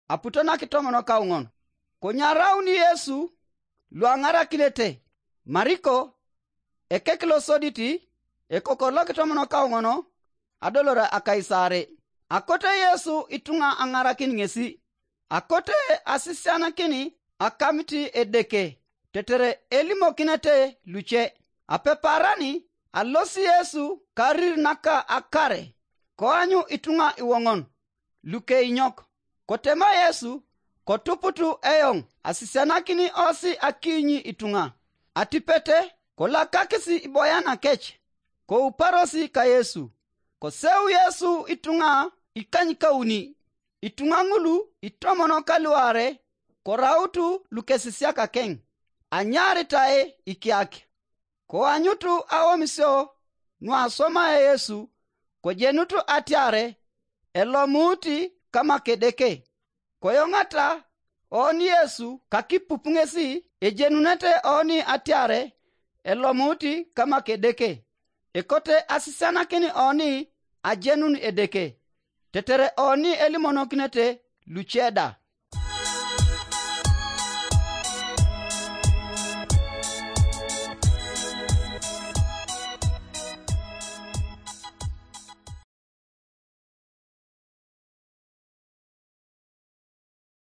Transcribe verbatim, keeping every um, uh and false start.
aputo nakitomonokauŋon. Konye arauni Yesu luaŋarakinete, Mariko, ekek losodit, ekokor lokitomonokauŋon, adolore akaisare. Akote Yesu ituŋa aŋarakin ŋesi, akote asisianakin akamit Edeke, tetere elimokinete luce. Apeparani alosi Yesu karir naka akare, koanyu ituŋa iwoŋon lukeinyok. Kotema Yesu, kotuputu eoŋ asisianakin osi akiinyi ituŋa. Atipete, kolakakis iboyanakec, kouparosi ka Yesu. Koseu Yesu ituŋa ikanykauni, ituŋa ŋul itomonokaluare, korautu lukesisiakakeŋ, anyaaritae ikiak. Koanyutu aomisio nuasomae Yesu, kojenut atiare elomuut kama Kedeke. Koyoŋata oni Yesu kakipup ŋesi ejenunete oni atiare elomuut kama Kedeke, ekote asisianakin oni ajenun Edeke, tetere oni elimonokinete luce da.